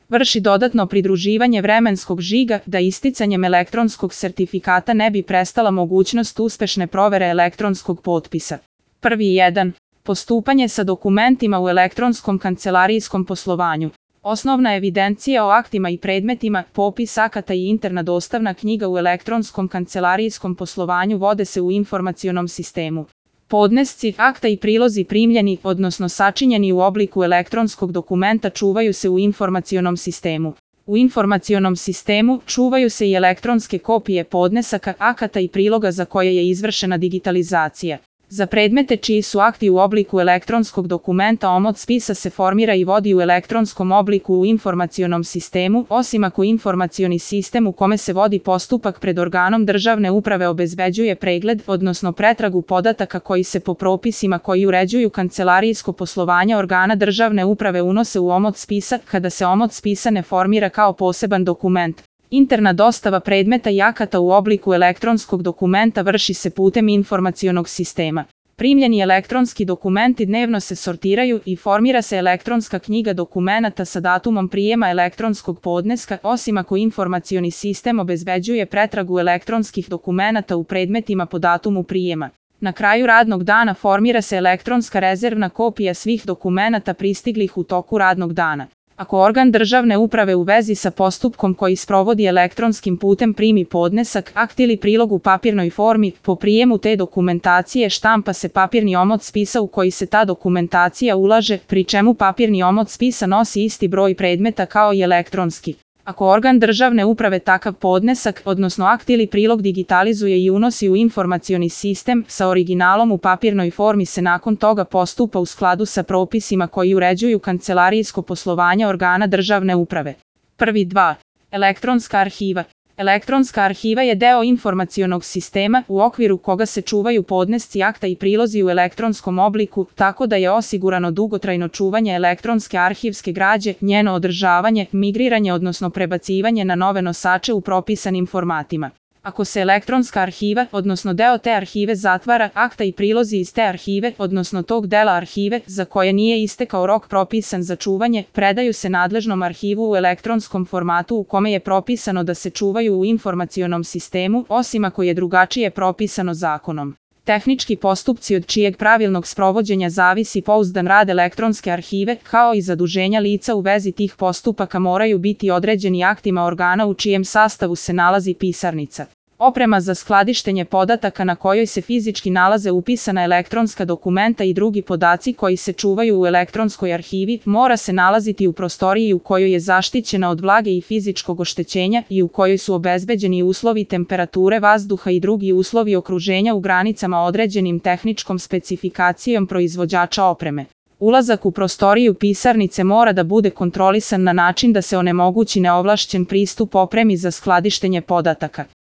vrši dodatno pridruživanje vremenskog žiga da isticanjem elektronskog sertifikata ne bi prestala mogućnost uspešne provere elektronskog potpisa. Prvi 1. Postupanje sa dokumentima u elektronskom kancelarijskom poslovanju. Osnovna evidencija o aktima i predmetima, popis akata i interna dostavna knjiga u elektronskom kancelarijskom poslovanju vode se u informacionom sistemu. Podnesci, akta i prilozi primljeni, odnosno sačinjeni u obliku elektronskog dokumenta čuvaju se u informacionom sistemu. U informacionom sistemu čuvaju se i elektronske kopije podnesaka, akata i priloga za koje je izvršena digitalizacija. Za predmete čiji su akti u obliku elektronskog dokumenta omot spisa se formira i vodi u elektronskom obliku u informacionom sistemu, osim ako informacioni sistem u kome se vodi postupak pred organom državne uprave obezbeđuje pregled, odnosno pretragu podataka koji se po propisima koji uređuju kancelarijsko poslovanje organa državne uprave unose u omot spisa, kada se omot spisa ne formira kao poseban dokument. Interna dostava predmeta i akata u obliku elektronskog dokumenta vrši se putem informacionog sistema. Primljeni elektronski dokumenti dnevno se sortiraju i formira se elektronska knjiga dokumenata sa datumom prijema elektronskog podneska, osim ako informacioni sistem obezbeđuje pretragu elektronskih dokumenata u predmetima po datumu prijema. Na kraju radnog dana formira se elektronska rezervna kopija svih dokumenata pristiglih u toku radnog dana. Ako organ državne uprave u vezi sa postupkom koji sprovodi elektronskim putem primi podnesak, akt ili prilog u papirnoj formi, po prijemu te dokumentacije štampa se papirni omot spisa u koji se ta dokumentacija ulaže, pri čemu papirni omot spisa nosi isti broj predmeta kao i elektronski. Ako organ državne uprave takav podnesak, odnosno akt ili prilog digitalizuje i unosi u informacioni sistem, sa originalom u papirnoj formi se nakon toga postupa u skladu sa propisima koji uređuju kancelarijsko poslovanje organa državne uprave. Prvi 2. Elektronska arhiva. Elektronska arhiva je deo informacionog sistema u okviru koga se čuvaju podnesci akta i prilozi u elektronskom obliku, tako da je osigurano dugotrajno čuvanje elektronske arhivske građe, njeno održavanje, migriranje odnosno prebacivanje na nove nosače u propisanim formatima. Ako se elektronska arhiva, odnosno deo te arhive zatvara, akta i prilozi iz te arhive, odnosno tog dela arhive, za koje nije istekao rok propisan za čuvanje, predaju se nadležnom arhivu u elektronskom formatu u kome je propisano da se čuvaju u informacionom sistemu, osim ako je drugačije propisano zakonom. Tehnički postupci od čijeg pravilnog sprovođenja zavisi pouzdan rad elektronske arhive, kao i zaduženja lica u vezi tih postupaka moraju biti određeni aktima organa u čijem sastavu se nalazi pisarnica. Oprema za skladištenje podataka na kojoj se fizički nalaze upisana elektronska dokumenta i drugi podaci koji se čuvaju u elektronskoj arhivi mora se nalaziti u prostoriji u kojoj je zaštićena od vlage i fizičkog oštećenja i u kojoj su obezbeđeni uslovi temperature vazduha i drugi uslovi okruženja u granicama određenim tehničkom specifikacijom proizvođača opreme. Ulazak u prostoriju pisarnice mora da bude kontrolisan na način da se onemogući neovlašćen pristup opremi za skladištenje podataka.